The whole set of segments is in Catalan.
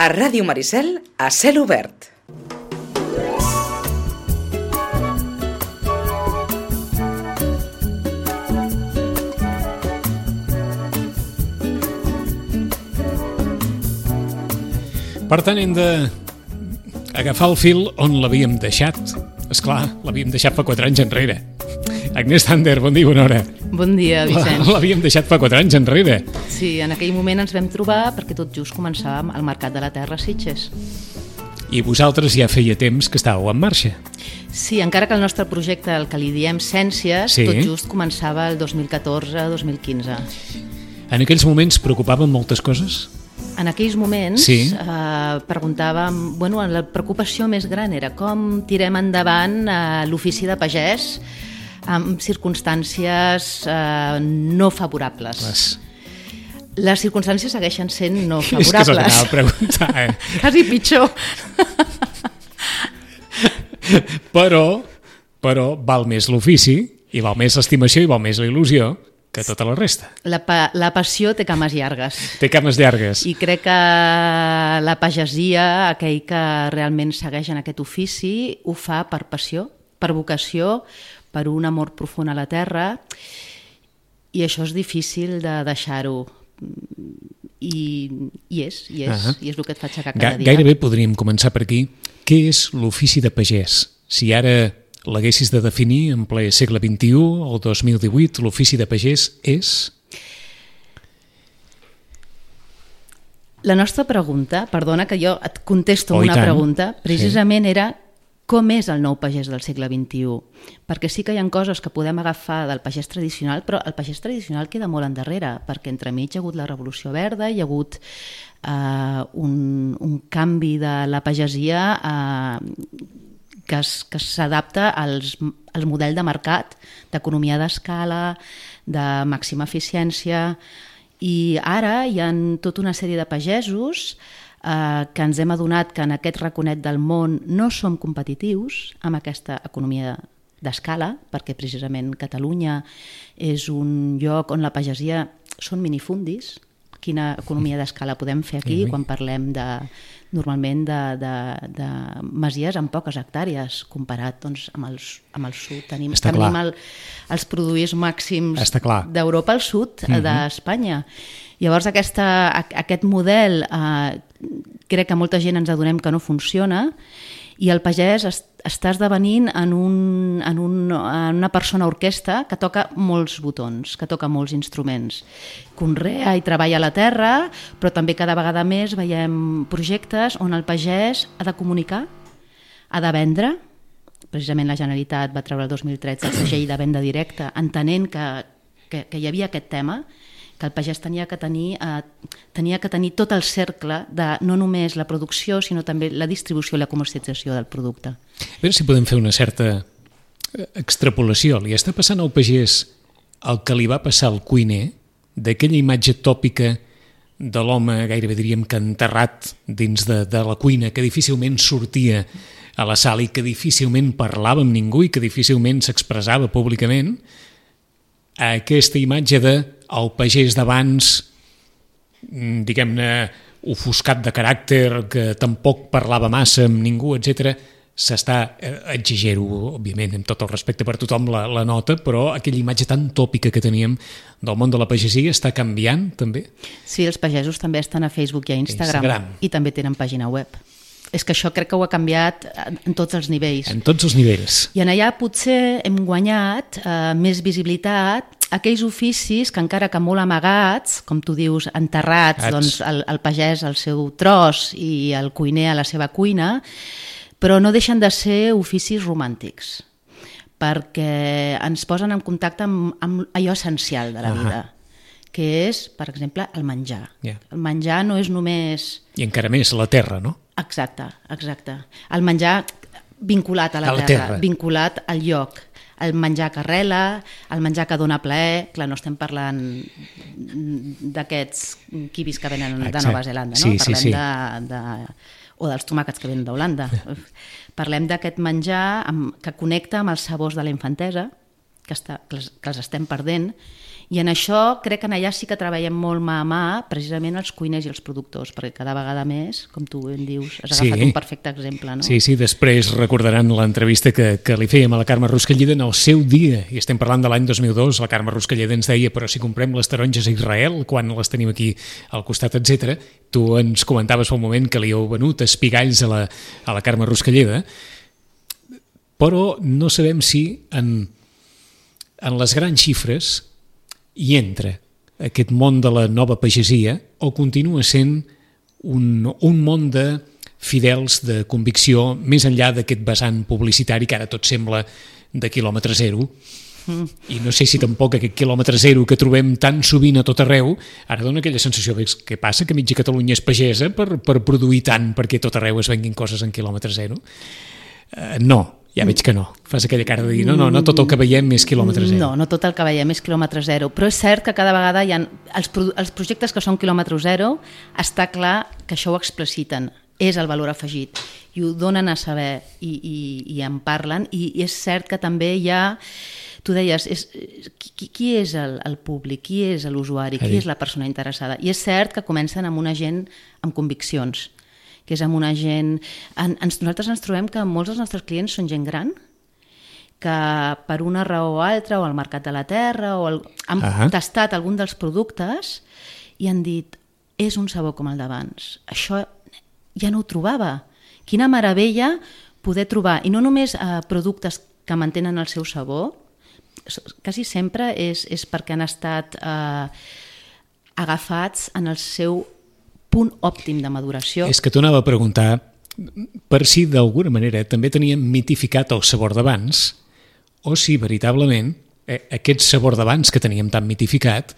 A Ràdio Maricel, a cel obert. Per tant, hem d'agafar el fil on l'havíem deixat. Esclar, l'havíem deixat fa 4 anys enrere. Agnès Tander, bon dia, bona hora. Bon dia, Vicenç. L'havíem deixat fa 4 anys enrere. Sí, en aquell moment ens vam trobar perquè tot just començàvem el Mercat de la Terra a Sitges. I vosaltres ja feia temps que estàveu en marxa. Sí, encara que el nostre projecte, el que li diem Ciències, Sí. tot just començava el 2014-2015. En aquells moments preocupaven moltes coses? En aquells moments Sí. preguntàvem, la preocupació més gran era com tirem endavant l'ofici de pagès amb circumstàncies no favorables. Les circumstàncies segueixen sent no És que se favorables. l'anava a preguntar, Quasi pitjor. Però val més l'ofici, i val més l'estimació, i val més la il·lusió que tota la resta. La passió té cames llargues. Té cames llargues. I crec que la pagesia, aquell que realment segueix en aquest ofici, ho fa per passió, per vocació, per un amor profund a la terra, i això és difícil de deixar-ho. I és el que et fa aixecar cada dia. Gairebé podríem començar per aquí. Què és l'ofici de pagès? Si ara l'haguessis de definir en ple segle XXI, el 2018, l'ofici de pagès és? La nostra pregunta, perdona que jo et contesto amb una tant. pregunta, precisament era com és el nou pagès del segle XXI? Perquè sí que hi ha coses que podem agafar del pagès tradicional, però el pagès tradicional queda molt endarrere, perquè entremig hi ha hagut la Revolució Verda, hi ha hagut un canvi de la pagesia que s'adapta al model de mercat, d'economia d'escala, de màxima eficiència, i ara hi ha tota una sèrie de pagesos que ens hem adonat que en aquest raconet del món no som competitius amb aquesta economia d'escala, perquè precisament Catalunya és un lloc on la pagesia són minifundis. Quina economia d'escala podem fer aquí quan parlem normalment de masies amb poques hectàrees, comparat amb el sud. Tenim els produïts màxims d'Europa al sud d'Espanya. Llavors aquest model crec que molta gent ens adonem que no funciona, i el pagès està esdevenint en una persona orquestra que toca molts botons, que toca molts instruments. Conrea i treballa la terra, però també cada vegada més veiem projectes on el pagès ha de comunicar, ha de vendre. Precisament la Generalitat va treure el 2013 el segell de venda directa, entenent que hi havia aquest tema, que el pagès tenia que tenir tot el cercle de no només la producció, sinó també la distribució i la comercialització del producte. A veure si podem fer una certa extrapolació. Li està passant al pagès el que li va passar al cuiner, d'aquella imatge tòpica de l'home, gairebé diríem que enterrat dins de la cuina, que difícilment sortia a la sala i que difícilment parlava amb ningú i que difícilment s'expressava públicament, a aquesta imatge del pagès d'abans, diguem-ne, ofuscat de caràcter, que tampoc parlava massa amb ningú, etc. S'està, exagero, òbviament, amb tot el respecte per tothom la nota, però aquella imatge tan tòpica que teníem del món de la pagesia està canviant, també? Sí, els pagesos també estan a Facebook i a Instagram. I també tenen pàgina web. És que això crec que ho ha canviat en tots els nivells. En tots els nivells. I en allà potser hem guanyat més visibilitat aquells oficis que encara que molt amagats, com tu dius, enterrats, doncs el pagès al seu tros i el cuiner a la seva cuina, però no deixen de ser oficis romàntics, perquè ens posen en contacte amb allò essencial de la vida, que és, per exemple, el menjar. El menjar no és només... I encara més, la terra, no? Exacte. El menjar vinculat a la terra, vinculat al lloc. El menjar que arrela, el menjar que dona plaer. Clar, no estem parlant d'aquests quibis que venen de Nova Zelanda, no? Parlem o dels tomàquets que venen d'Holanda. Parlem d'aquest menjar que connecta amb els sabors de la infantesa, que els estem perdent, I en això crec que allà sí que treballem molt mà a mà, precisament els cuiners i els productors, perquè cada vegada més, com tu ben dius, has agafat un perfecte exemple. No? Sí, després recordaran l'entrevista que li fèiem a la Carme Ruscalleda en el seu dia, i estem parlant de l'any 2002, la Carme Ruscalleda ens deia però si comprem les taronges a Israel, quan les tenim aquí al costat, etc. Tu ens comentaves fa un moment que li heu venut espigalls a la Carme Ruscalleda, però no sabem si en les grans xifres hi entra aquest món de la nova pagesia o continua sent un món de fidels, de convicció, més enllà d'aquest vessant publicitari que ara tot sembla de quilòmetre zero. I no sé si tampoc aquest quilòmetre zero que trobem tan sovint a tot arreu ara dona aquella sensació de què passa, que mitja Catalunya és pagesa per produir tant perquè a tot arreu es venguin coses en quilòmetre zero. No, ja veig que no. Fas aquella cara de dir no tot el que veiem és quilòmetre zero. No tot el que veiem és quilòmetre zero, però és cert que cada vegada hi ha els projectes que són quilòmetre zero, està clar que això ho expliciten, és el valor afegit i ho donen a saber i en parlen, i és cert que també hi ha, tu deies, qui és el públic, qui és l'usuari, qui és la persona interessada, i és cert que comencen amb una gent amb conviccions, que és amb una gent... Nosaltres ens trobem que molts dels nostres clients són gent gran, que per una raó o altra, o al mercat de la terra, han tastat algun dels productes i han dit, és un sabor com el d'abans. Això ja no ho trobava. Quina meravella poder trobar, i no només productes que mantenen el seu sabor, quasi sempre és perquè han estat agafats en el seu punt òptim de maduració. És que t'ho anava a preguntar per si d'alguna manera també teníem mitificat el sabor d'abans o si veritablement aquest sabor d'abans que teníem tan mitificat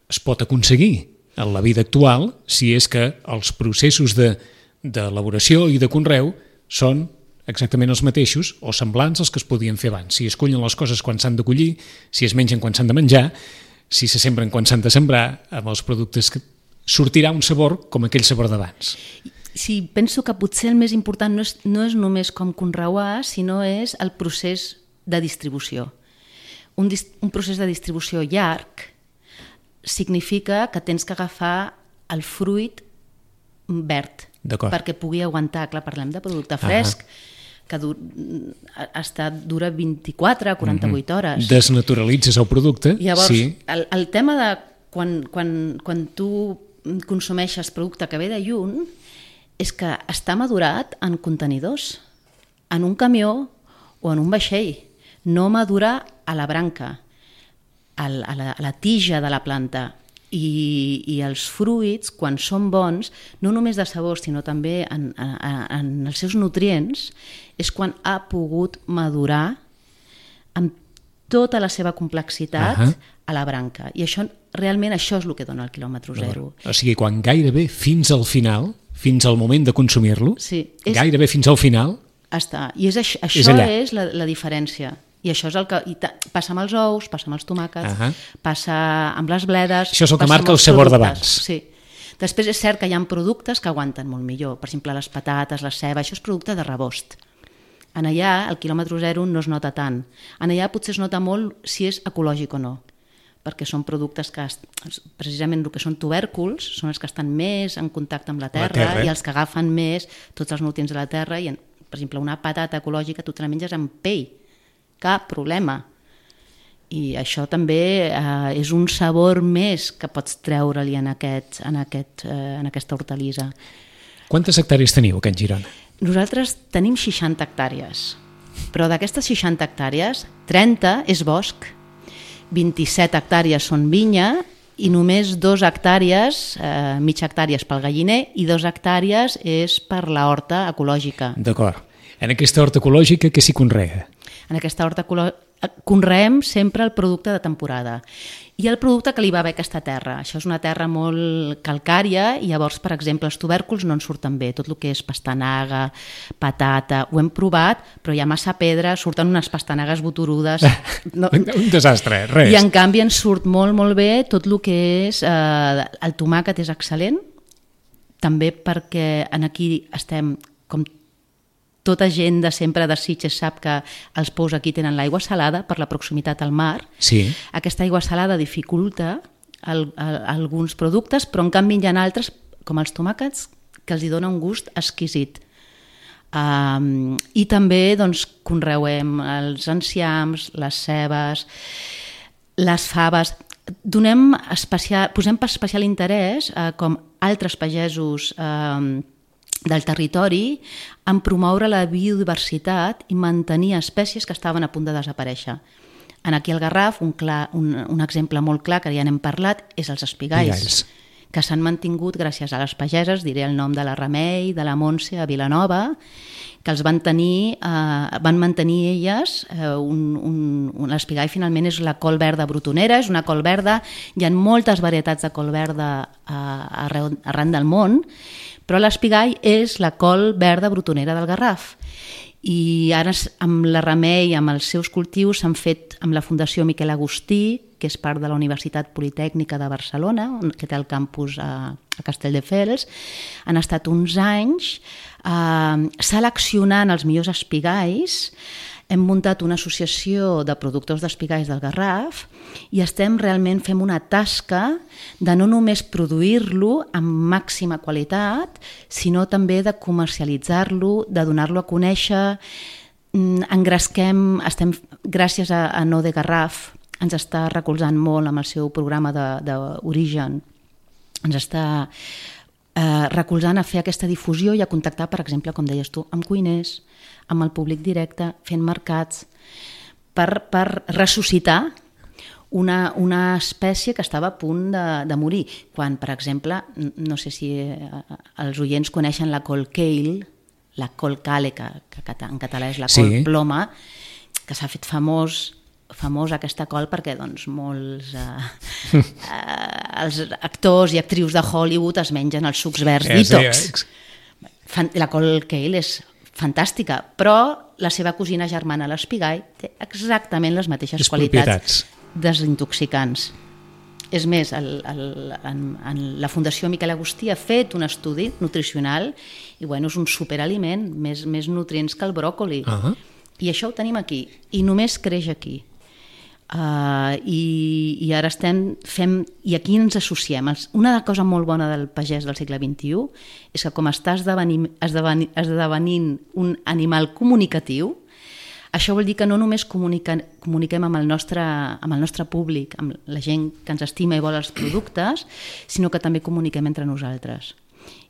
es pot aconseguir en la vida actual si és que els processos d'elaboració i de conreu són exactament els mateixos o semblants als que es podien fer abans. Si es cullen les coses quan s'han de collir, si es mengen quan s'han de menjar, si se sembren quan s'han de sembrar, amb els productes que sortirà un sabor com aquell sabor d'abans. Sí, penso que potser el més important no és només com conreuar, sinó és el procés de distribució. Un procés de distribució llarg significa que tens que agafar el fruit verd perquè pugui aguantar. Clar, parlem de producte fresc, que dura 24 a 48 hores. Desnaturalitzes el producte. Llavors, el tema de quan tu consumeixes producte que ve de lluny és que està madurat en contenidors, en un camió o en un vaixell. No madura a la branca, a la tija de la planta. I els fruits, quan són bons, no només de sabor, sinó també en els seus nutrients, és quan ha pogut madurar amb tota la seva complexitat a la branca. I realment això és el que dona el quilòmetre zero. O sigui, quan gairebé fins al final, fins al moment de consumir-lo, gairebé fins al final... Està. I això és la diferència. I això és el que passa amb els ous, passa amb els tomàquets, passa amb les bledes... Això és el que marca el sabor d'abans. Sí. Després és cert que hi ha productes que aguanten molt millor. Per exemple, les patates, la ceba, això és producte de rebost. En allà, el quilòmetre zero no es nota tant. En allà potser es nota molt si és ecològic o no, perquè són productes que, precisament el que són tubèrculs, són els que estan més en contacte amb la terra i els que agafen més tots els nutrients de la terra. I, per exemple, una patata ecològica tu te la menges amb pell, cap problema. I això també és un sabor més que pots treure-li en aquesta hortalissa. Quantes hectàrees teniu aquí en Girona? Nosaltres tenim 60 hectàrees, però d'aquestes 60 hectàrees, 30 és bosc, 27 hectàrees són vinya i només 2 hectàrees, mitja hectàrees pel galliner i 2 hectàrees és per la horta ecològica. D'acord. En aquesta horta ecològica què s'hi conrea? En aquesta horta conreem sempre el producte de temporada i el producte que li va bé a aquesta terra. Això és una terra molt calcària i llavors, per exemple, els tubèrculs no en surten bé. Tot el que és pastanaga, patata, ho hem provat, però hi ha massa pedra, surten unes pastanagues boturudes. Un desastre, res. I en canvi ens surt molt, molt bé tot el que és... El tomàquet és excel·lent, també perquè aquí estem com tota gent de sempre de Sitges sap que els pous aquí tenen l'aigua salada per la proximitat al mar. Sí. Aquesta aigua salada dificulta alguns productes, però en canvi hi ha altres, com els tomàquets, que els hi dona un gust exquisit. I també doncs, conreuem els enciams, les cebes, les faves. Posem especial interès, com altres pagesos del territori, en promoure la biodiversitat i mantenir espècies que estaven a punt de desaparèixer. Aquí al Garraf, un exemple molt clar, que ja n'hem parlat, és els espigalls, que s'han mantingut gràcies a les pageses, diré el nom de la Remei, de la Montse, a Vilanova, que els van mantenir elles. L'espigall finalment és la col verda brotonera, és una col verda, hi ha moltes varietats de col verda arran del món, però l'espigall és la col verda brotonera del Garraf. I ara amb la Remei, amb els seus cultius, s'han fet amb la Fundació Miquel Agustí, que és part de la Universitat Politècnica de Barcelona, que té el campus a Castelldefels. Han estat uns anys seleccionant els millors espigalls. Hem muntat una associació de productors d'espigalls del Garraf i fem una tasca de no només produir-lo amb màxima qualitat, sinó també de comercialitzar-lo, de donar-lo a conèixer. Gràcies a No de Garraf, ens està recolzant molt amb el seu programa d'origen. Ens està recolzant a fer aquesta difusió i a contactar, per exemple, com deies tu, amb cuiners, amb el públic directe, fent mercats, per ressuscitar una espècie que estava a punt de morir. Quan, per exemple, no sé si els oients coneixen la col kale, la col kale, que en català és la col ploma, que s'ha fet famosa aquesta col perquè doncs, molts els actors i actrius de Hollywood es mengen els sucs verds detox. La col kale és fantàstica, però la seva cosina germana, l'espigall, té exactament les mateixes qualitats desintoxicants. És més, la Fundació Miquel Agustí ha fet un estudi nutricional i és un superaliment, més nutrients que el bròcoli. I això ho tenim aquí, i només creix aquí. I ara i aquí ens associem. Una cosa molt bona del pagès del segle XXI és que com està esdevenint un animal comunicatiu, això vol dir que no només comuniquem amb el nostre públic, amb la gent que ens estima i vol els productes, sinó que també comuniquem entre nosaltres.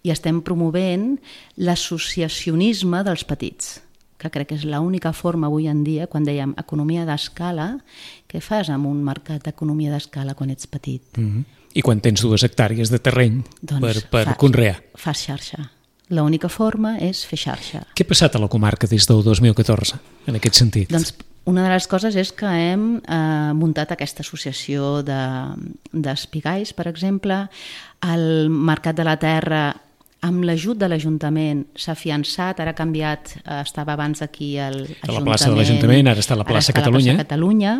I estem promovent l'associacionisme dels petits, que crec que és l'única forma avui en dia, quan dèiem economia d'escala, què fas amb un mercat d'economia d'escala quan ets petit? I quan tens 2 hectàrees de terreny per conrear? Fas xarxa. L'única forma és fer xarxa. Què ha passat a la comarca des del 2014, en aquest sentit? Doncs una de les coses és que hem muntat aquesta associació d'espigalls, per exemple. El Mercat de la Terra, amb l'ajut de l'Ajuntament, s'ha fiançat, ara ha canviat, estava abans aquí l'Ajuntament. A la plaça de l'Ajuntament, ara està a la plaça Catalunya.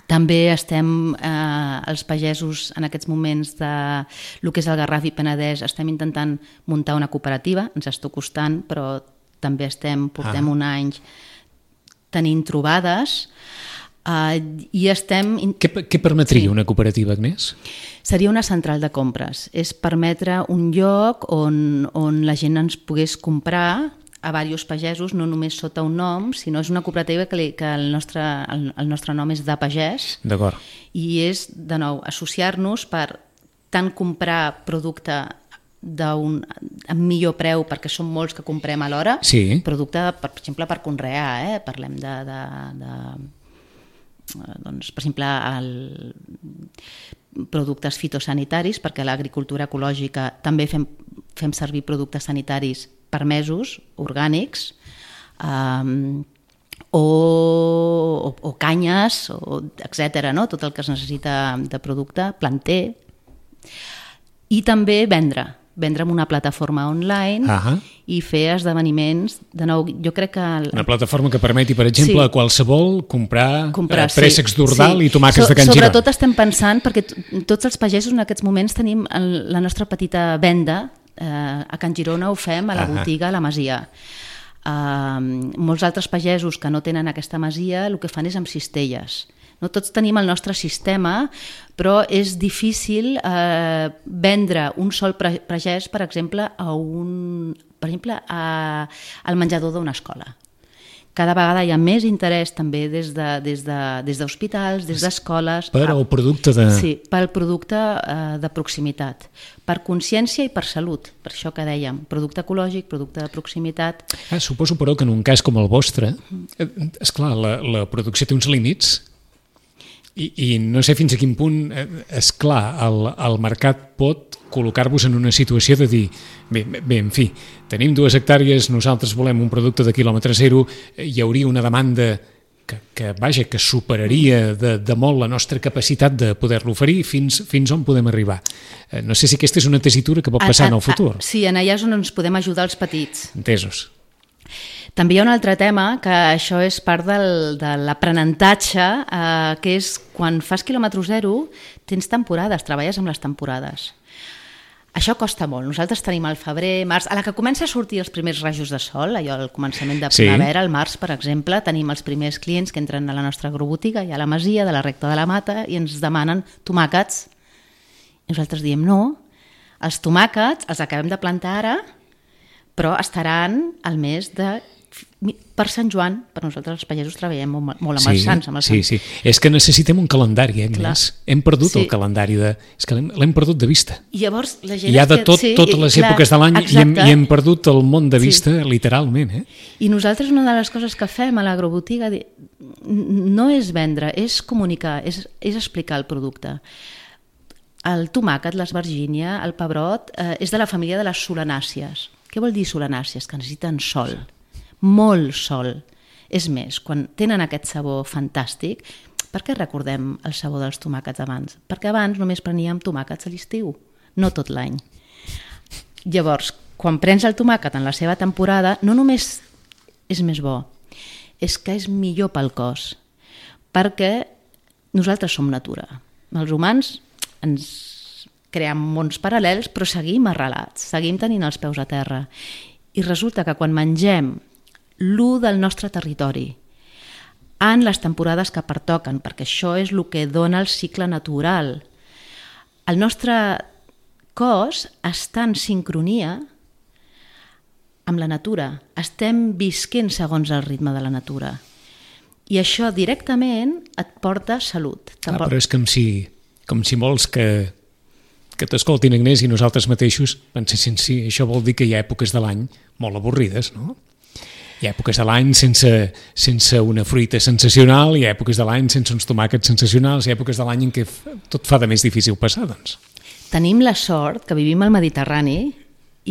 També estem, els pagesos en aquests moments del que és el Garraf i Penedès, estem intentant muntar una cooperativa, ens està costant, però també portem un any tenint trobades. Què permetria una cooperativa, Agnès? Seria una central de compres. És permetre un lloc on la gent ens pogués comprar a diversos pagesos, no només sota un nom, sinó és una cooperativa que el nostre nom és de pagès. D'acord. I és, de nou, associar-nos per tant comprar producte amb millor preu, perquè són molts que comprem alhora, producte, per exemple, per conrear, parlem doncs, per exemple, productes fitosanitaris, perquè a l'agricultura ecològica també fem servir productes sanitaris permesos, orgànics, o canyes, etc., no? Tot el que es necessita de producte, planter, i també vendre en una plataforma online i fer esdeveniments. De nou, jo crec que... Una plataforma que permeti, per exemple, a qualsevol comprar préssecs d'Ordal i tomàquets de Can Girona. Sobretot estem pensant, perquè tots els pagesos en aquests moments tenim la nostra petita venda, a Can Girona ho fem, a la botiga, a la Masia. Molts altres pagesos que no tenen aquesta masia el que fan és amb cistelles. No tots tenim el nostre sistema, però és difícil vendre un sol pagès, per exemple, al menjador d'una escola. Cada vegada hi ha més interès també des d'hospitals, des d'escoles. Per al producte de... Sí, pel producte de proximitat. Per consciència i per salut. Per això que dèiem, producte ecològic, producte de proximitat. Suposo, però, que en un cas com el vostre, esclar, la producció té uns límits i no sé fins a quin punt, esclar, el mercat pot col·locar-vos en una situació de dir, bé, en fi, tenim 2 hectàrees, nosaltres volem un producte de quilòmetre zero, hi hauria una demanda que superaria de molt la nostra capacitat de poder-lo oferir, fins on podem arribar. No sé si aquesta és una tessitura que pot passar en el futur. Sí, en allà és on ens podem ajudar els petits. Entesos. També hi ha un altre tema, que això és part de l'aprenentatge, que és quan fas quilòmetre zero, tens temporades, treballes amb les temporades. Això costa molt. Nosaltres tenim al febrer, març, a la que comença a sortir els primers rajos de sol, allò al començament de primavera, al març, per exemple, tenim els primers clients que entren a la nostra agrobotiga, i a la masia de la Recta de la Mata, i ens demanen tomàquets. I nosaltres diem no, els tomàquets els acabem de plantar ara, però estaran al mes per Sant Joan. Per nosaltres els pagesos treballem molt amb els sants. Sí. És que necessitem un calendari, més. Hem perdut el calendari, és que l'hem perdut de vista. I llavors la gent... Hi ha de totes les èpoques de l'any i hem perdut el món de vista, literalment. I nosaltres una de les coses que fem a l'agrobotiga no és vendre, és comunicar, és explicar el producte. El tomàquet, l'esvergínia, el pebrot, és de la família de les solanàcies. Què vol dir solanàcies? Que necessiten sol, molt sol. És més, quan tenen aquest sabor fantàstic, per què recordem el sabor dels tomàquets abans? Perquè abans només preníem tomàquets a l'estiu, no tot l'any. Llavors, quan prens el tomàquet en la seva temporada, no només és més bo, és que és millor pel cos, perquè nosaltres som natura. Els humans ens creem mons paral·lels, però seguim arrelats, seguim tenint els peus a terra. I resulta que quan mengem l'1 del nostre territori en les temporades que pertoquen, perquè això és el que dona el cicle natural, el nostre cos està en sincronia amb la natura. Estem visquent segons el ritme de la natura. I això directament et porta salut. Però és com si molts que t'escoltin, Agnès, i nosaltres mateixos pensessin, sí, això vol dir que hi ha èpoques de l'any molt avorrides, no? Hi ha èpoques de l'any sense una fruita sensacional, hi ha èpoques de l'any sense uns tomàquets sensacionals, hi ha èpoques de l'any en què tot fa de més difícil passar, doncs. Tenim la sort que vivim al Mediterrani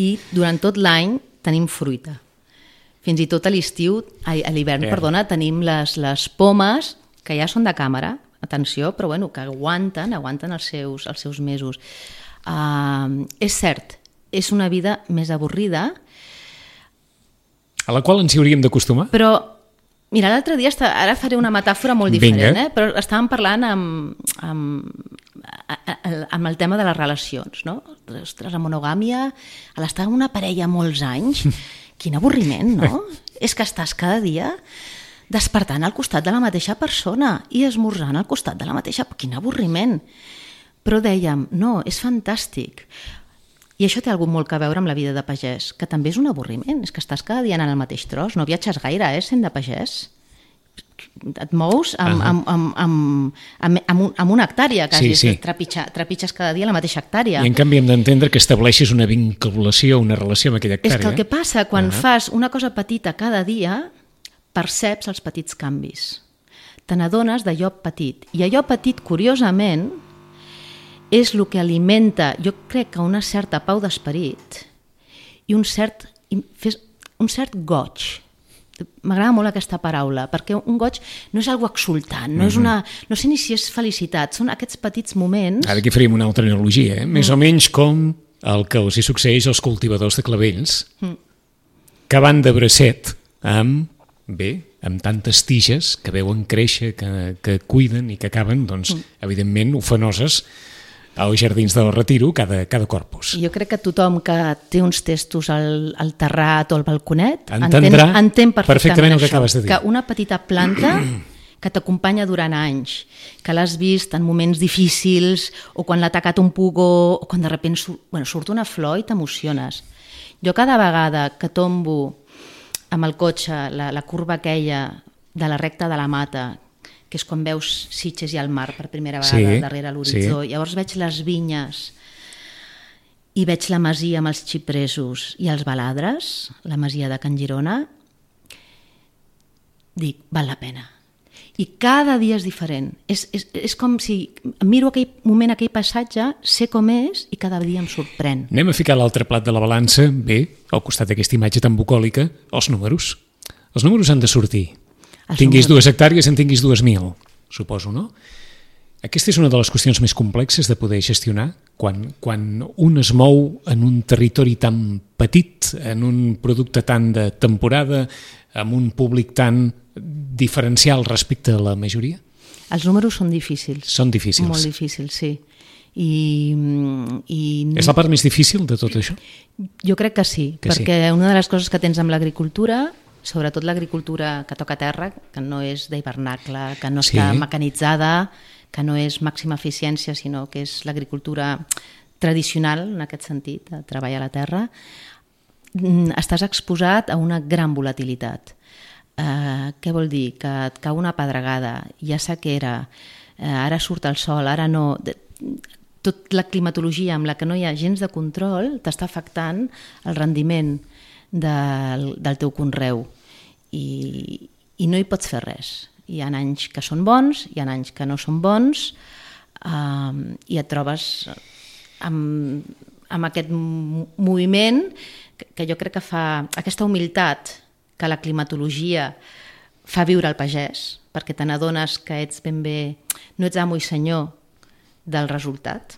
i durant tot l'any tenim fruita. Fins i tot a l'hivern, tenim les pomes, que ja són de càmera, atenció, però bueno, que aguanten els seus mesos. És cert, és una vida més avorrida, a la qual ens hi hauríem d'acostumar. Però, mira, l'altre dia, ara faré una metàfora molt diferent, però estàvem parlant amb el tema de les relacions, no? Ostres, la monogàmia, a l'estar en una parella molts anys, quin avorriment, no? És que estàs cada dia despertant al costat de la mateixa persona i esmorzant al costat de la mateixa... Quin avorriment! Però dèiem, no, és fantàstic. I això té molt a veure amb la vida de pagès, que també és un avorriment, és que estàs cada dia anant al mateix tros, no viatges gaire, sent de pagès. Et mous amb una hectàrea, quasi, sí. Trepitges cada dia la mateixa hectàrea. I en canvi hem d'entendre que estableixes una vinculació, una relació amb aquella hectàrea. És que el que passa, quan fas una cosa petita cada dia, perceps els petits canvis. Te n'adones d'allò petit. I allò petit, curiosament, és el que alimenta, jo crec que una certa pau d'esperit i un cert goig. M'agrada molt aquesta paraula, perquè un goig no és algo exultant, no sé ni si és felicitat, són aquests petits moments... Ara aquí faríem una altra analogia, més o menys com el que els hi succeeix als cultivadors de clavells, que van de bracet amb tantes tiges que veuen créixer, que cuiden i que acaben, doncs, evidentment, ofenoses als Jardins del Retiro cada corpus. Jo crec que tothom que té uns testos al terrat o al balconet entén perfectament el que això, acabes de dir. que una petita planta que t'acompanya durant anys, que l'has vist en moments difícils o quan l'ha atacat un pugó o quan de sobte surt una flor i t'emociones. Jo cada vegada que tombo amb el cotxe la curva aquella de la recta de la Mata, que és quan veus Sitges i el mar per primera vegada darrere l'horitzó, llavors veig les vinyes i veig la masia amb els xipresos i els baladres, la masia de Can Girona, dic, val la pena. I cada dia és diferent. És com si miro aquell moment, aquell passatge, sé com és i cada dia em sorprèn. Anem a ficar l'altre plat de la balança, bé, al costat d'aquesta imatge tan bucòlica, els números. Els números han de sortir. Tinguis 2 hectàrees, en tinguis 2.000, suposo, no? Aquesta és una de les qüestions més complexes de poder gestionar quan un es mou en un territori tan petit, en un producte tan de temporada, amb un públic tan diferencial respecte a la majoria? Els números són difícils. Són difícils. Molt difícils, sí. És la part més difícil de tot això? Jo crec que sí, perquè una de les coses que tens amb l'agricultura, sobretot l'agricultura que toca terra, que no és d'hivernacle, que no està mecanitzada, que no és màxima eficiència, sinó que és l'agricultura tradicional, en aquest sentit, de treballar a la terra, estàs exposat a una gran volatilitat. Què vol dir? Que et cau una pedregada, hi ha sequera, ara surt el sol, ara no... Tot la climatologia amb la que no hi ha gens de control t'està afectant el rendiment del teu conreu i no hi pots fer res. Hi ha anys que són bons, hi ha anys que no són bons i et trobes amb aquest moviment que jo crec que fa aquesta humilitat que la climatologia fa viure al pagès, perquè te n'adones que ets ben bé, no ets amo i senyor del resultat,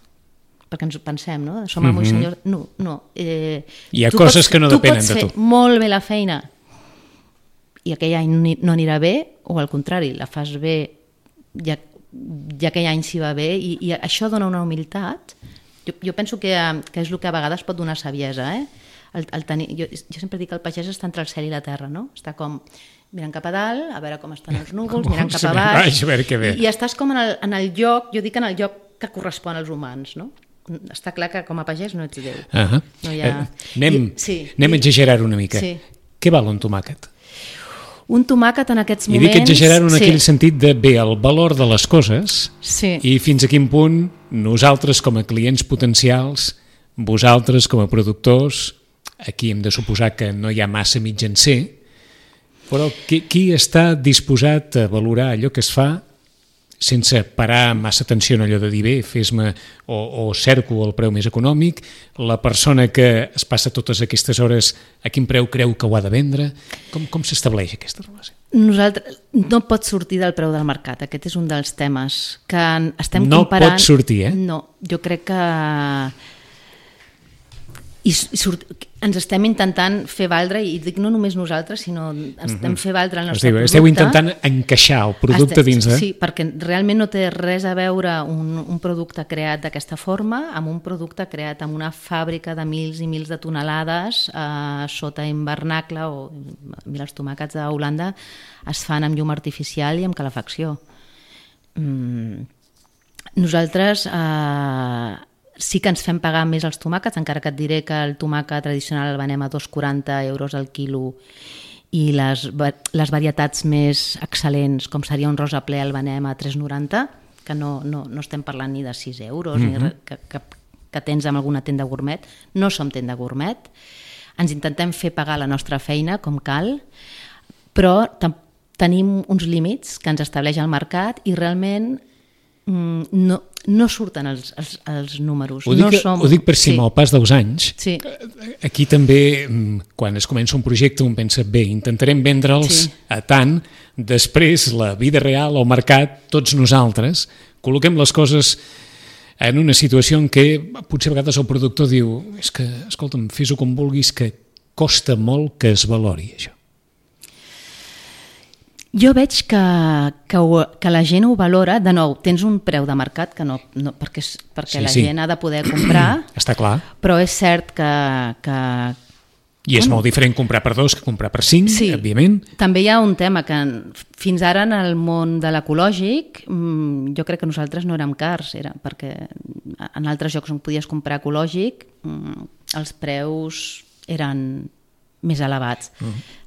perquè ens ho pensem, no? Som amo i senyor... No. Hi ha coses que no depenen de tu. Tu pots fer molt bé la feina i aquell any no anirà bé, o al contrari, la fas bé i aquell any s'hi va bé, i això dona una humilitat. Jo penso que és el que a vegades pot donar saviesa, jo sempre dic que el pagès està entre el cel i la terra, no? Està com mirant cap a dalt, a veure com estan els núvols, mirant cap a baix, i estàs com en el lloc, jo dic en el lloc que correspon als humans, no? Està clar que com a pagès no ets Déu. No hi ha... Anem a exagerar una mica. Què val un tomàquet? Un tomàquet en aquests moments... I dic exagerar en aquell sentit de bé, el valor de les coses i fins a quin punt nosaltres com a clients potencials, vosaltres com a productors, aquí hem de suposar que no hi ha massa mitjancer, però qui està disposat a valorar allò que es fa sense parar massa atenció en allò de dir bé, fes-me o cerco el preu més econòmic, la persona que es passa totes aquestes hores a quin preu creu que ho ha de vendre, com s'estableix aquesta relació? Nosaltres no pot sortir del preu del mercat, aquest és un dels temes que estem comparant. No pot sortir, No, jo crec que ens estem intentant fer valdre, i dic no només nosaltres, sinó estem fer valdre el nostre producte. Esteu intentant encaixar el producte dins de... Sí, perquè realment no té res a veure un producte creat d'aquesta forma amb un producte creat en una fàbrica de mils i mils de tonelades sota hivernacle, o mira, els tomàquets a Holanda es fan amb llum artificial i amb calefacció. Nosaltres sí que ens fem pagar més els tomàquets, encara que et diré que el tomàquet tradicional el venem a 2,40 euros al quilo, i les varietats més excel·lents, com seria un rosa ple, el venem a 3,90, que no estem parlant ni de 6 euros, ni que tens en alguna tenda gourmet. No som tenda gourmet, ens intentem fer pagar la nostra feina com cal, però tenim uns límits que ens estableix el mercat i realment no surten els números. Ho dic per si amb el pas dels anys, aquí també, quan es comença un projecte, un pensa, bé, intentarem vendre'ls a tant, després la vida real, el mercat, tots nosaltres, col·loquem les coses en una situació en què potser a vegades el productor diu, és que, escolta'm, fes-ho com vulguis, que costa molt que es valori això. Jo veig que la gent ho valora. De nou, tens un preu de mercat que no perquè la gent ha de poder comprar. Està clar. Però és cert que I és molt diferent comprar per 2 que comprar per 5, sí, òbviament. També hi ha un tema que fins ara en el món de l'ecològic jo crec que nosaltres no érem cars, perquè en altres llocs on podies comprar ecològic els preus eren més elevats.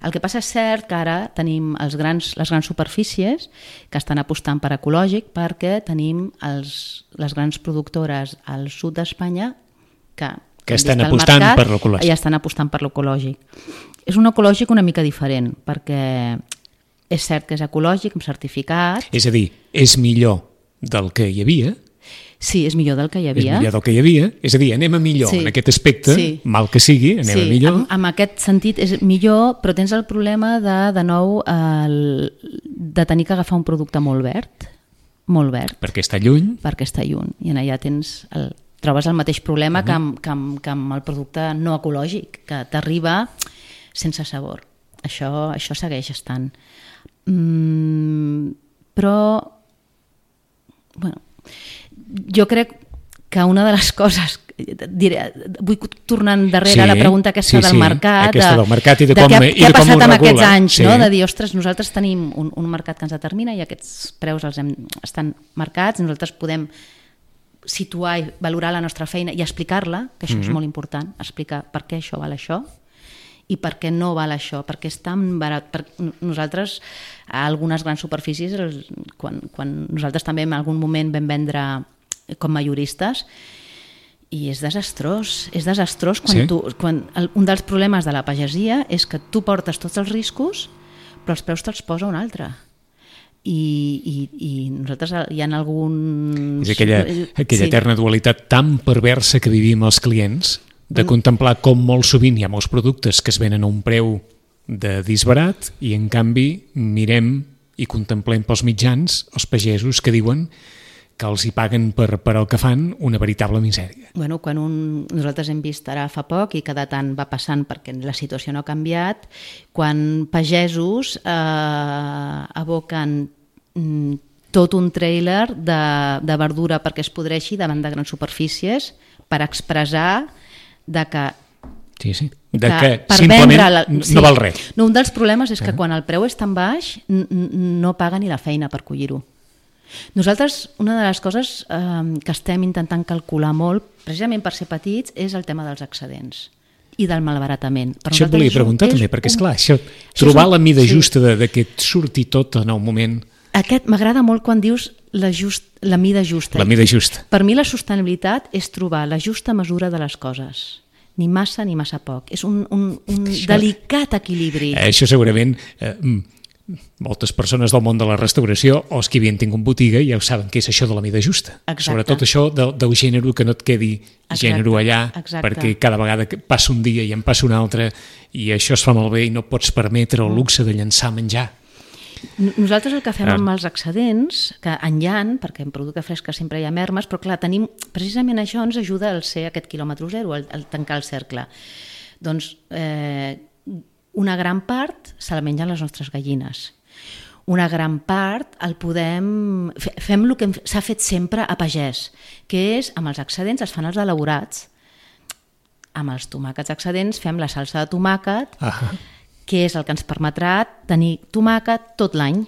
El que passa és cert que ara tenim les grans superfícies que estan apostant per ecològic perquè tenim les grans productores al sud d'Espanya que estan apostant per l'ecològic. Ja estan apostant per l'ecològic. És un ecològic una mica diferent, perquè és cert que és ecològic, amb certificat. És a dir, és millor del que hi havia. Sí, és millor del que hi havia. És millor del que hi havia. És a dir, anem a millor en aquest aspecte, mal que sigui, anem a millor. Sí, en aquest sentit és millor, però tens el problema de nou, de tenir que agafar un producte molt verd. Perquè està lluny. I allà trobes el mateix problema que amb el producte no ecològic, que t'arriba sense sabor. Això segueix estant. Però, jo crec que una de les coses, vull tornar endarrere a la pregunta aquesta del mercat, i de què ha passat en aquests anys, de dir, ostres, nosaltres tenim un mercat que ens determina i aquests preus estan marcats, nosaltres podem situar i valorar la nostra feina i explicar-la, que això és molt important, explicar per què això val això i per què no val això, perquè és tan barat. Nosaltres, a algunes grans superfícies, quan nosaltres també en algun moment vam vendre com majoristes, i és desastrós quan un dels problemes de la pagesia és que tu portes tots els riscos però els preus te'ls posa un altre. I nosaltres hi ha alguns... És aquella eterna dualitat tan perversa que vivim els clients, de contemplar com molt sovint hi ha molts productes que es venen a un preu de disbarat i en canvi mirem i contemplem pels mitjans els pagesos que diuen que els hi paguen per el que fan una veritable misèria. Quan nosaltres hem vist ara fa poc i cada tant va passant perquè la situació no ha canviat, quan pagesos aboquen tot un tràiler de verdura perquè es podreixi davant de grans superfícies per expressar que simplement no val res. Un dels problemes és que quan el preu és tan baix no paga ni la feina per collir-ho. Nosaltres, una de les coses que estem intentant calcular molt, precisament per ser petits, és el tema dels excedents i del malbaratament. Això et volia preguntar també, perquè esclar, trobar la mida justa de que et surti tot en el moment... M'agrada molt quan dius la mida justa. La mida justa. Per mi la sostenibilitat és trobar la justa mesura de les coses. Ni massa ni massa poc. És un delicat equilibri. Això segurament... moltes persones del món de la restauració o els que havien tingut botiga ja ho saben què és això de la mida justa. Sobretot això del gènere, que no et quedi gènere allà, perquè cada vegada passa un dia i en passa un altre i això es fa malbé i no pots permetre el luxe de llençar menjar. Nosaltres el que fem amb els excedents, que en hi ha, perquè en producte fresc sempre hi ha mermes, però clar, tenim, precisament això ens ajuda al ser aquest quilòmetre zero, al tancar el cercle. Doncs una gran part se la mengen les nostres gallines. Una gran part fem el que s'ha fet sempre a pagès, que és, amb els excedents es fan els elaborats. Amb els tomàquets excedents fem la salsa de tomàquet, que és el que ens permetrà tenir tomàquet tot l'any.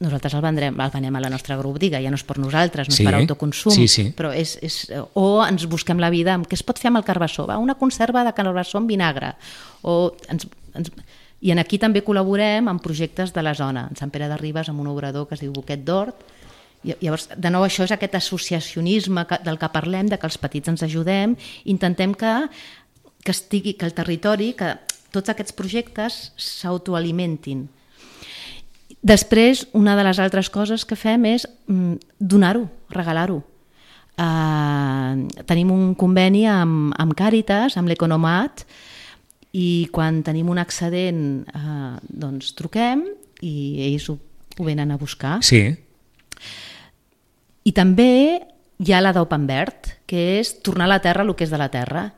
Nosaltres el venem a la nostra agrobotiga, ja no és per nosaltres, no és per autoconsum, però o ens busquem la vida amb què es pot fer amb el carbassó, una conserva de carbassó amb vinagre, i aquí també col·laborem en projectes de la zona, en Sant Pere de Ribes amb un obrador que es diu Boquet d'Hort. Llavors, de nou, això és aquest associacionisme del que parlem, de que els petits ens ajudem, intentem que el territori, que tots aquests projectes s'autoalimentin. Després, una de les altres coses que fem és donar-ho, regalar-ho. Tenim un conveni amb Càritas, amb l'Economat, i quan tenim un excedent doncs truquem i ells ho venen a buscar. Sí. I també hi ha la d'Open Verd, que és tornar a la terra el que és de la terra.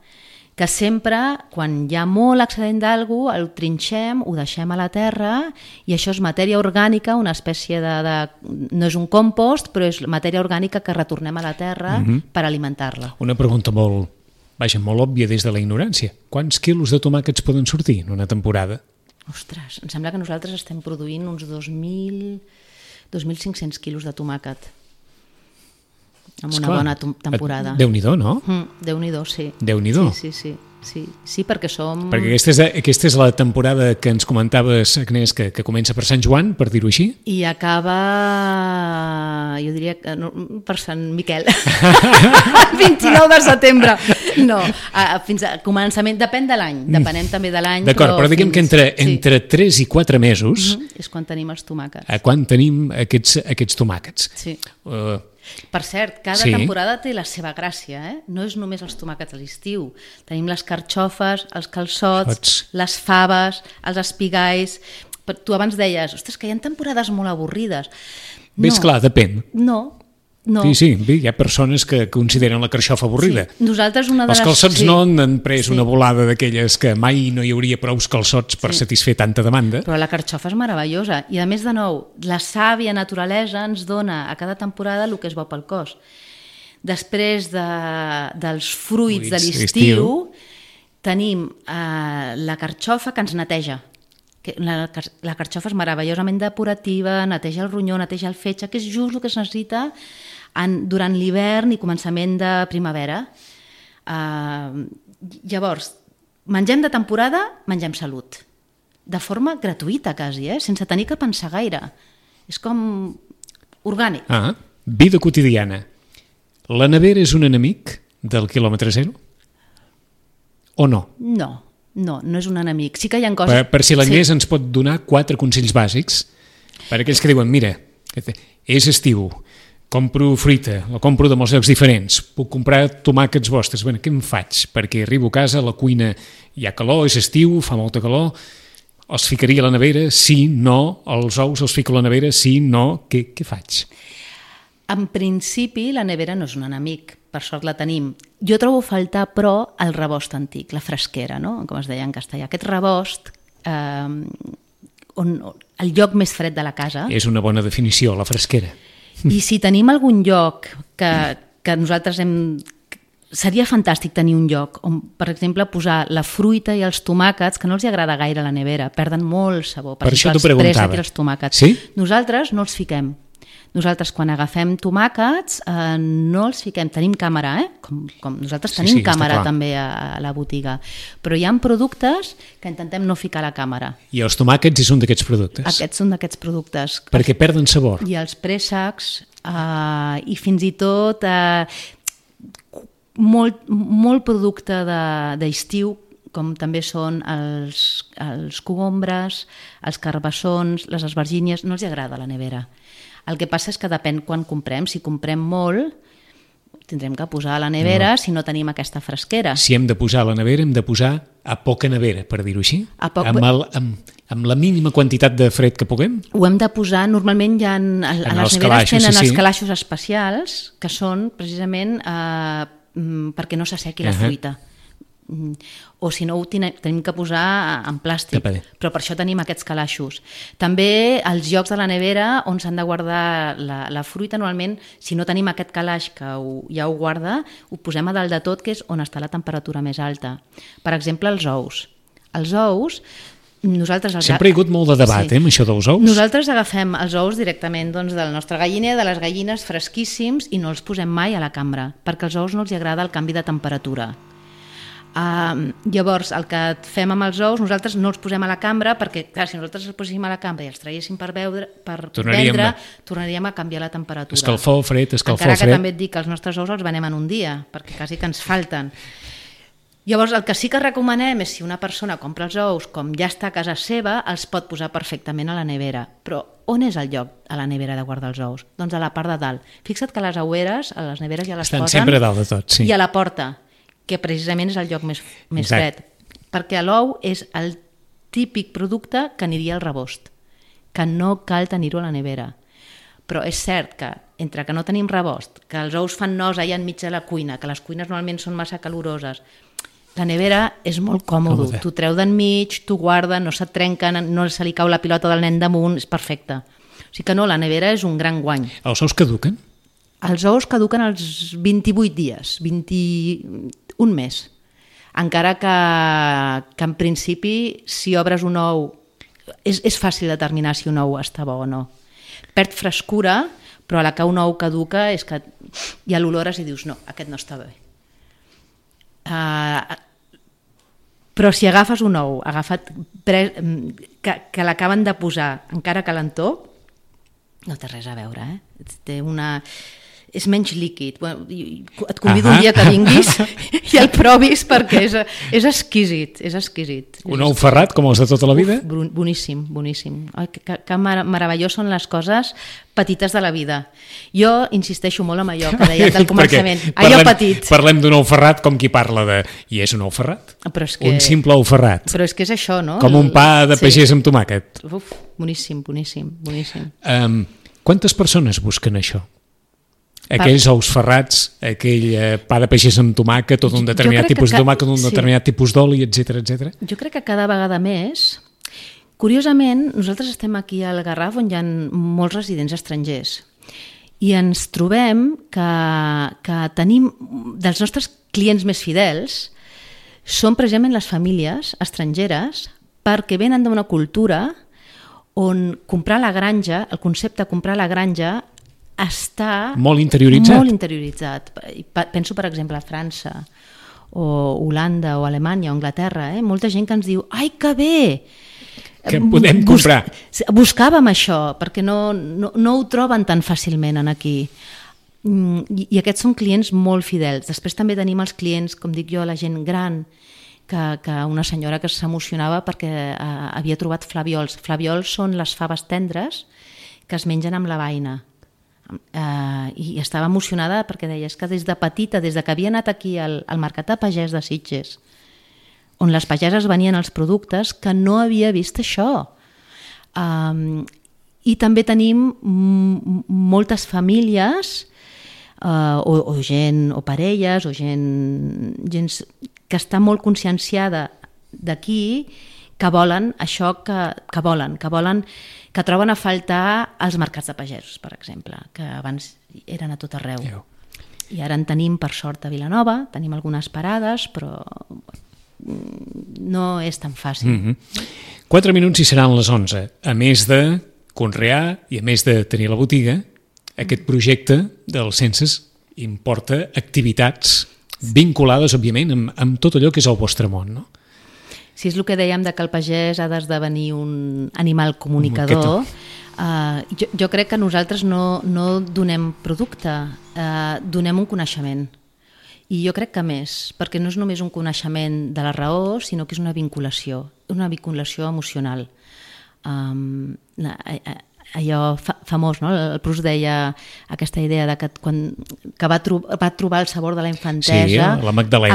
que sempre, quan hi ha molt excedent d'algú, el trinxem, ho deixem a la terra i això és matèria orgànica, una espècie no és un compost, però és matèria orgànica que retornem a la terra per alimentar-la. Una pregunta molt òbvia des de la ignorància. Quants quilos de tomàquets poden sortir en una temporada? Ostres, em sembla que nosaltres estem produint uns 2.500 quilos de tomàquet amb una bona temporada. Déu-n'hi-do, no? Déu-n'hi-do, sí. Déu-n'hi-do. Sí, perquè som... Perquè aquesta és la temporada que ens comentaves, Agnès, que comença per Sant Joan, per dir-ho així. I acaba, jo diria, per Sant Miquel. 29 de setembre. No, fins a començament, depèn de l'any, depenem també de l'any. D'acord, però diguem que entre 3 i 4 mesos... És quan tenim els tomàquets. Quan tenim aquests tomàquets. Sí. Per cert, cada temporada té la seva gràcia, no és només els tomàquets a l'estiu. Tenim les carxofes, els calçots, les faves, els espigais. Tu abans deies, ostres, que hi ha temporades molt avorrides. Bé, esclar, depèn. No. Sí, hi ha persones que consideren la carxofa avorrida. Sí. Nosaltres una de els calçots no han pres una volada d'aquelles que mai no hi hauria prous calçots per satisfer tanta demanda. Però la carxofa és meravellosa i a més de nou, la sàvia naturalesa ens dona a cada temporada el que és bo pel cos. Després dels fruits de l'estiu tenim la carxofa que ens neteja. La carxofa és meravellosament depurativa, neteja el ronyó, neteja el fetge, que és just el que es necessita durant l'hivern i començament de primavera. Llavors, mengem de temporada, mengem salut. De forma gratuïta, quasi, sense tenir que pensar gaire. És com orgànic. Vida quotidiana. La nevera és un enemic del quilòmetre zero? O no? No és un enemic. Sí que hi ha coses... Per si l'Agnès ens pot donar 4 consells bàsics per a aquells que diuen, mira, és estiu, compro fruita, la compro de molts llocs diferents, puc comprar tomàquets vostres, què em faig? Perquè arribo a casa, a la cuina hi ha calor, és estiu, fa molta calor, els ficaria a la nevera, sí, no, els ous els fico a la nevera, sí, no, què faig? En principi, la nevera no és un enemic, per sort la tenim. Jo trobo a faltar, però, el rebost antic, la fresquera, no? Com es deia en castellà. Aquest rebost, el lloc més fred de la casa... És una bona definició, la fresquera. I si tenim algun lloc que nosaltres seria fantàstic tenir un lloc on, per exemple, posar la fruita i els tomàquets, que no els agrada gaire a la nevera, perden molt sabor. Per això t'ho preguntava. Els tomàquets. Sí? Nosaltres no els fiquem. Nosaltres, quan agafem tomàquets, no els fiquem. Tenim càmera, com nosaltres tenim càmera també a la botiga. Però hi ha productes que intentem no ficar a la càmera. I els tomàquets és un d'aquests productes? Aquests són d'aquests productes. Perquè perden sabor. I els préssecs, i fins i tot molt producte d'estiu, com també són els cogombres, els carbassons, les esvergínies, no els agrada a la nevera. El que passa és que depèn quan comprem. Si comprem molt, tindrem que posar a la nevera si no tenim aquesta fresquera. Si hem de posar a la nevera, hem de posar a poca nevera, per dir-ho així? Amb la mínima quantitat de fred que puguem? Ho hem de posar, normalment hi ha... A les neveres tenen els calaixos especials, que són precisament perquè no s'assequi la fruita. O si no ho tenim que posar en plàstic, però per això tenim aquests calaixos. També els llocs de la nevera on s'han de guardar la fruita, normalment, si no tenim aquest calaix que ja ho guarda, ho posem a dalt de tot, que és on està la temperatura més alta. Per exemple, els ous. Els ous, nosaltres... Sempre hi ha hagut molt de debat, amb això dels ous. Nosaltres agafem els ous directament del nostre galliner, de les gallines fresquíssims, i no els posem mai a la cambra, perquè als ous no els agrada el canvi de temperatura. Llavors, el que fem amb els ous, nosaltres no els posem a la cambra perquè, clar, si nosaltres els poséssim a la cambra i els traguéssim per vendre, tornaríem a canviar la temperatura. Escalfor, fred, encara que també et dic que els nostres ous els venem en un dia, perquè quasi que ens falten. Llavors, el que sí que recomanem és si una persona compra els ous, com ja està a casa seva, els pot posar perfectament a la nevera. Però on és el lloc a la nevera de guardar els ous? Doncs a la part de dalt. Fixa't que les oueres, a les neveres ja les estan posen... sempre a dalt de tot, sí. I a la porta, que precisament és el lloc més fred. Perquè l'ou és el típic producte que aniria al rebost, que no cal tenir-ho a la nevera. Però és cert que, entre que no tenim rebost, que els ous fan nosa allà enmig de la cuina, que les cuines normalment són massa caloroses, La nevera és molt còmode. Tu treu d'enmig, tu guarda, no se't trenca, no se li cau la pilota del nen damunt, és perfecte. O sigui que no, la nevera és un gran guany. Els ous caduquen? Els ous caduquen als 28 dies, 21 mes. Encara que en principi, si obres un ou, és fàcil determinar si un ou està bo o no. Perd frescura, però a la que un ou caduca és que ja l'olores i dius no, aquest no està bé. Però si agafes un ou que l'acaben de posar encara calentó, no té res a veure, és menys líquid. Et convido un dia que vinguis i el provis perquè és exquisit, és exquisit. Un ou ferrat com els de tota la vida? Boníssim, boníssim. Que meravellós són les coses petites de la vida. Jo insisteixo molt en allò que deia del començament. Allò petit. Parlem d'un ou ferrat com qui parla de... I és un ou ferrat? Un simple ou ferrat. Però és que és això, no? Com un pa de pagès amb tomàquet. Boníssim, boníssim, boníssim. Quantes persones busquen això? Aquells ous ferrats, aquell pa de pagès amb tomàquet, tot un determinat tipus de tomàquet, un determinat tipus d'oli, etc. Jo crec que cada vegada més... Curiosament, nosaltres estem aquí al Garraf on hi ha molts residents estrangers i ens trobem que tenim dels nostres clients més fidels són precisament les famílies estrangeres perquè venen d'una cultura on comprar la granja, el concepte de comprar la granja està molt interioritzat. Molt interioritzat. Penso, per exemple, a França, o Holanda, o Alemanya, o Anglaterra. Molta gent que ens diu, ai, que bé! Que podem comprar. Buscàvem això, perquè no ho troben tan fàcilment aquí. I aquests són clients molt fidels. Després també tenim els clients, com dic jo, la gent gran, que una senyora que s'emocionava perquè havia trobat flaviols. Flaviols són les faves tendres que es mengen amb la beina. I estava emocionada perquè deia que des de petita, des de que havia anat aquí al Mercat de Pagès de Sitges, on les pageses venien els productes, que no havia vist això. I també tenim moltes famílies o gent, o parelles, o gent que està molt conscienciada d'aquí, que volen això que volen, que troben a faltar els mercats de pagesos, per exemple, que abans eren a tot arreu. I ara en tenim, per sort, a Vilanova, tenim algunes parades, però no és tan fàcil. 4 minuts i seran les 11. A més de conrear i a més de tenir la botiga, aquest projecte dels Senses importa activitats vinculades, òbviament, amb tot allò que és el vostre món, no? Si és el que dèiem de que el pagès ha d'esdevenir un animal comunicador, jo crec que nosaltres no donem producte, donem un coneixement. I jo crec que més, perquè no és només un coneixement de la raó, sinó que és una vinculació emocional. Allò famós, no? El Proust deia aquesta idea de que va trobar el sabor de la infantesa amb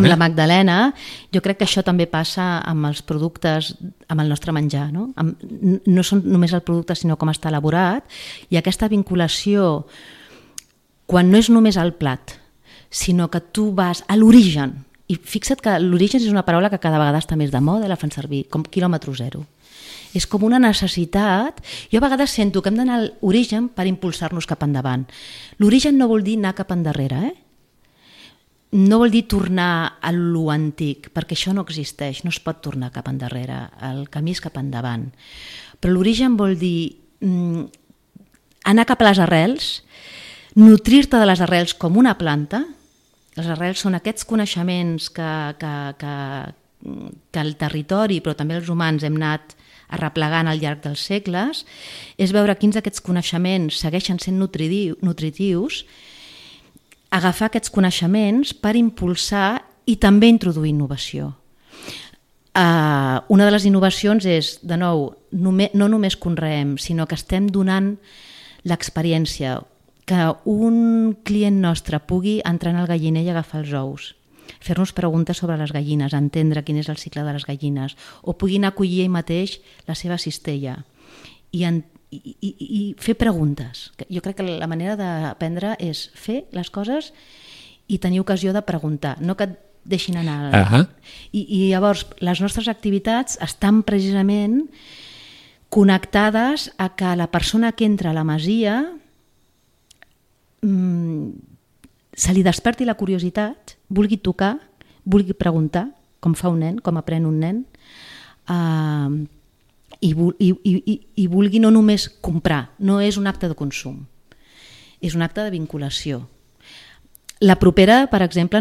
la Magdalena. Jo crec que això també passa amb els productes, amb el nostre menjar, no? No són només el producte, sinó com està elaborat, i aquesta vinculació, quan no és només el plat, sinó que tu vas a l'origen, i fixa't que l'origen és una paraula que cada vegada està més de moda, la fan servir com quilòmetre zero. És com una necessitat. Jo a vegades sento que hem d'anar a l'origen per impulsar-nos cap endavant. L'origen no vol dir anar cap endarrere, no vol dir tornar a lo antic, perquè això no existeix, no es pot tornar cap endarrere, el camí és cap endavant. Però l'origen vol dir anar cap a les arrels, nutrir-te de les arrels com una planta. Les arrels són aquests coneixements que el territori, però també els humans, hem anat arreplegant al llarg dels segles, és veure quins d'aquests coneixements segueixen sent nutritius, agafar aquests coneixements per impulsar i també introduir innovació. Una de les innovacions és, de nou, no només conreem, sinó que estem donant l'experiència, que un client nostre pugui entrar en el galliner i agafar els ous, fer-nos preguntes sobre les gallines, entendre quin és el cicle de les gallines, o puguin acollir ell mateix la seva cistella i fer preguntes. Jo crec que la manera d'aprendre és fer les coses i tenir ocasió de preguntar. No que et deixin anar. Ahà. I llavors les nostres activitats estan precisament connectades a que la persona que entra a la masia se li desperti la curiositat, vulgui tocar, vulgui preguntar, com fa un nen, com aprèn un nen, i vulgui no només comprar, no és un acte de consum, és un acte de vinculació. La propera, per exemple,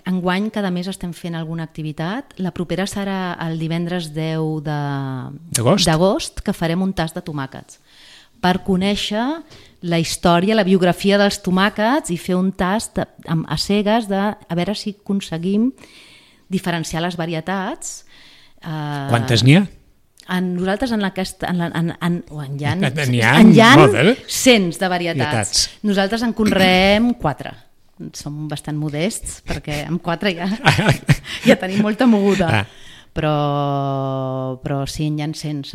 enguany cada mes estem fent alguna activitat. La propera serà el divendres 10 d'agost, que farem un tast de tomàquets per conèixer la història, la biografia dels tomàquets i fer un tast a cegues a veure si aconseguim diferenciar les varietats. Quantes n'hi ha? Nosaltres en hi ha cents de varietats. Nosaltres en conreem 4. Som bastant modests perquè amb 4 ja tenim molta moguda. Però sí, n'hi ha 100.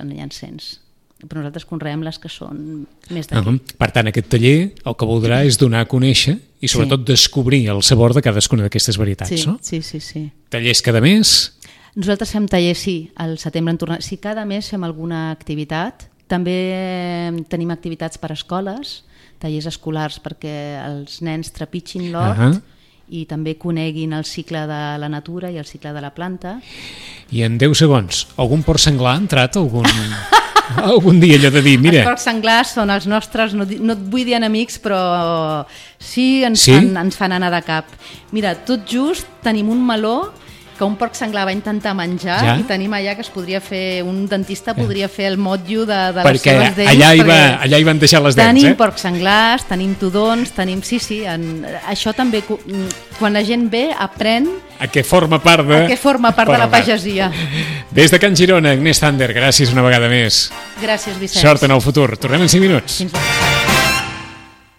Però nosaltres conreem les que són més d'aquí. Per tant, aquest taller el que voldrà és donar a conèixer i sobretot descobrir el sabor de cadascuna d'aquestes varietats, no? Sí. Tallers cada mes? Nosaltres fem tallers, sí, al setembre en tornem. Sí, cada mes fem alguna activitat. També tenim activitats per a escoles, tallers escolars perquè els nens trepitgin l'hort i també coneguin el cicle de la natura i el cicle de la planta. I en 10 segons, algun porc senglar ha entrat algun dia allò de dir, mira... Els porcs senglars són els nostres, no et vull dir enemics, però sí ens fan anar de cap. Mira, tot just tenim un meló que un porc senglar va intentar menjar i tenim allà que es podria fer, un dentista podria fer el motllo de les seves dents. Perquè allà hi van deixar les dents, Tenim porcs senglars, tenim tudons, tenim... Sí, això també, quan la gent ve, aprèn a què forma part de la pagesia. Des de Can Girona, Agnès Thunder, gràcies una vegada més. Gràcies, Vicenç. Sort en el futur. Tornem en 5 minuts. Fins demà.